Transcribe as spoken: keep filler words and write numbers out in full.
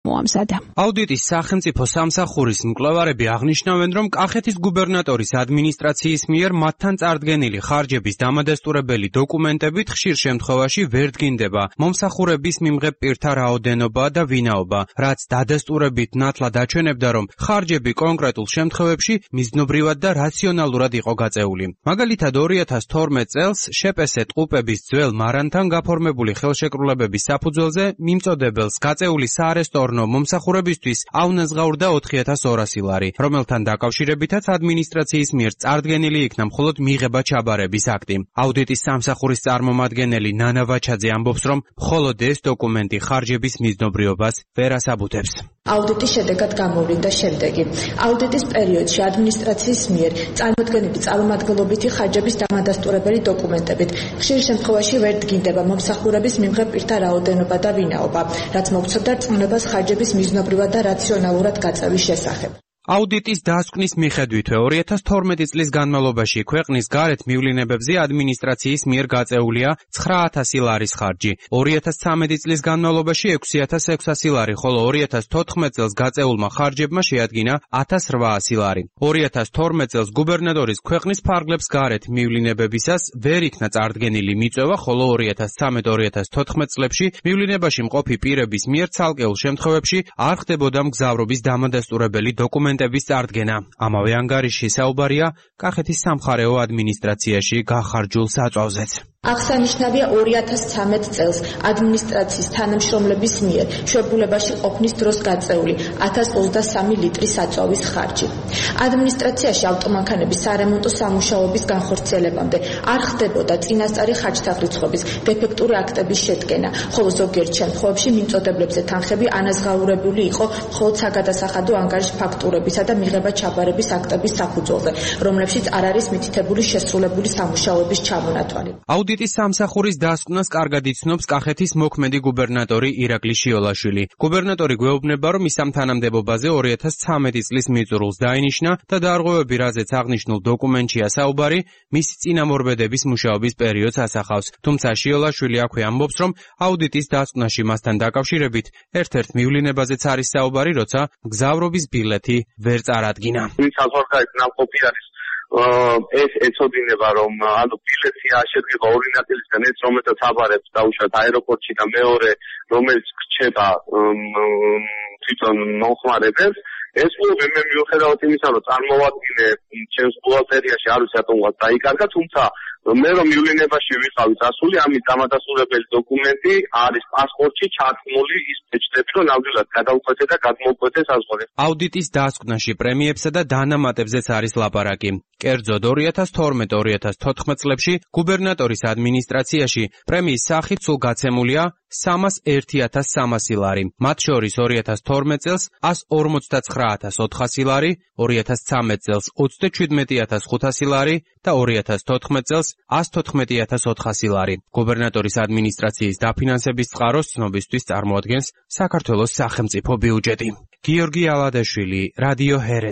მოამზადა. აუდიტის სახელმწიფო სამსახურის მკვლევარები აღნიშნავენ, რომ კახეთის გუბერნატორის ადმინისტრაციის მიერ მათთან წარდგენილი ხარჯების დამადასტურებელი დოკუმენტებით ხშირ შემთხვევაში ვერ დგინდება მომსახურების მიმღებ პირთა რაოდენობა და ვინაობა, რაც დადასტურებით ნათლად აჩვენებდა, რომ ხარჯები კონკრეტულ შემთხვევებში მიზნობრივად და რაციონალურად იყო გაწეული. მაგალითად, ორი ათას თორმეტ წელს შეპესე ტყუპების ძველ მარანთან გაფორმებული ხელშეკრულებების საფუძველზე მიმწოდებელს გაწეული საარესტო მომსახურებისთვის აუნაზღაურდა ოთხი ათას ორასი ლარი, რომელთან დაკავშირებითაც ადმინისტრაციის მიერ წარდგენილი იქნა მხოლოდ მიღება ჩაბარების აქტი. აუდიტის სამსახურის წარმომადგენელი ნანა ვაჩაძე ამბობს, რომ მხოლოდ ეს დოკუმენტი ხარჯების მიზნობრიობას ვერ ასაბუთებს. აუდიტის შედეგად გამოვლინდა შემდეგი. აუდიტის პერიოდში ადმინისტრაციის მიერ წარმოდგენილი წარმომადგენლობითი ხარჯების დამადასტურებელი დოკუმენტებით ხშირ შემთხვევაში ვერ დგინდება მომსახურების მიმღებ პირთა რაოდენობა და ვინაობა, რაც მოგცემდა რწმუნებას ხარჯების მიზნობრივად და რაციონალურად გაწევის შესახებ. აუდიტის დასკვნის მიხედვითვე ორი ათას თორმეტი წლის განმავლობაში ქვეყნის გარეთ მივლინებებზე ადმინისტრაციის მიერ გაწეულია ცხრა ათასი ლარის ხარჯი, ორი ათას ცხრამეტი წლის განმავლობაში ექვსი ათას ექვსასი ლარი, ხოლო ორი ათას თოთხმეტ წელს გაწეულმა ხარჯებმა შეადგინა ათას რვაასი ლარი. ორი ათას თორმეტ წელს გუბერნატორის ქვეყნის ფარგლებს გარეთ მივლინებებისას ვერ იქნა წარდგენილი მიწვევა, ხოლო ორი ათას ცხრამეტ ორი ათას თოთხმეტ წლებში მივლინებაში მყოფი პირების მიერ ცალკეულ შემთხვევებში არ ხდებოდა მგზავრობის დამადასტურებელი დოკუმენტები. წარდგენა. ამავე ანგარიში საუბარია კახეთის სამხარეო ადმინისტრაციაში გახარჯულ საწვავზეც. აღსანიშნავია ორი ათას ცხრამეტ წელს ადმინისტრაციის თანამშრომლების მიერ შვებულებაში ყოფნის დროს გაწეული ათას ოცდასამი ლიტრი საწვავის ხარჯი. ადმინისტრაციაში ავტომანქანების სარემონტო სამუშაოების განხორციელებამდე არ ხდებოდა წინასწარი ხარჯთაღრიცხვების დეფექტური აქტების შედგენა, ხოლო ზოგიერთ შემთხვევებში მიმწოდებლებზე თანხები ანაზღაურებული იყო მხოლოდ საგადასახადო ანგარიშ ფაქტურებისა და მიღება ჩაბარების აქტების საფუძველზე, რომლებშიც არ არის მითითებული შესრულებული სამუშაოების ჩამონათვალი. აუდიტის სამსახურის დასკვნას კარგად იცნობს კახეთის მოქმედი გუბერნატორი ირაკლი შიოლაშვილი. გუბერნატორი გვეუბნება, რომ ის ამ თანამდებობაზე ორი ათას ცხრამეტი წლის მიწურულს დაინიშნა და დარღვევები, რაზეც აღნიშნულ დოკუმენტშია საუბარი, მისი წინამორბედების მუშაობის პერიოდს ასახავს. თუმცა შიოლაშვილი აქვე ამბობს, რომ აუდიტის დასკვნაში მასთან დაკავშირებით ერთ-ერთ მივლინებაზეც არის საუბარი, როცა მგზავრობის ბილეთი ვერ წარადგინა. ეს ეცოდინება, რომ ანუ ბილეთი შედგება ორი ნაწილისგან, ეს რომელსაც აბარებს დაუშვათ აეროპორტში და მეორე რომელიც გრჩება თვითონ მომხმარებელს. ეს მე მე მიუხედავად იმისა, რომ წარმოვადგინე ჩემს ბუღალტერიაში არ ვიცი რატომღაც დაიკარგა, თუმცა მე რომ მივლინებაში ვიყავი წასული, ამის დამადასტურებელი დოკუმენტი არის პასპორტში ჩართმული ის ფეჭდები, რომ ნამდვილად გადაუკვეთე და გადმოუკვეთე საზღვარი. აუდიტის დასკვნაში პრემიებსა და დანამატებზეც არის ლაპარაკი. კერძოდ ორი ათას თორმეტ ორი ათას თოთხმეტ წლებში გუბერნატორის ადმინისტრაციაში პრემიის სახით სულ გაცემულია სამას ერთი ათას სამასი ლარი. მათ შორის ორი ათას თორმეტ წელს ას ორმოცდაცხრა ათას ოთხასი ლარი, ორი ათას ცხრამეტ წელს ოცდაჩვიდმეტი ათას ხუთასი ლარი და ორი ათას თოთხმეტ წელს ას თოთხმეტი ათას ოთხასი ლარი. გუბერნატორის ადმინისტრაციის დაფინანსების წყაროს ცნობისთვის წარმოადგენს საქართველოს სახელმწიფო ბიუჯეტი. გიორგი ალადაშვილი, რადიო ჰერე.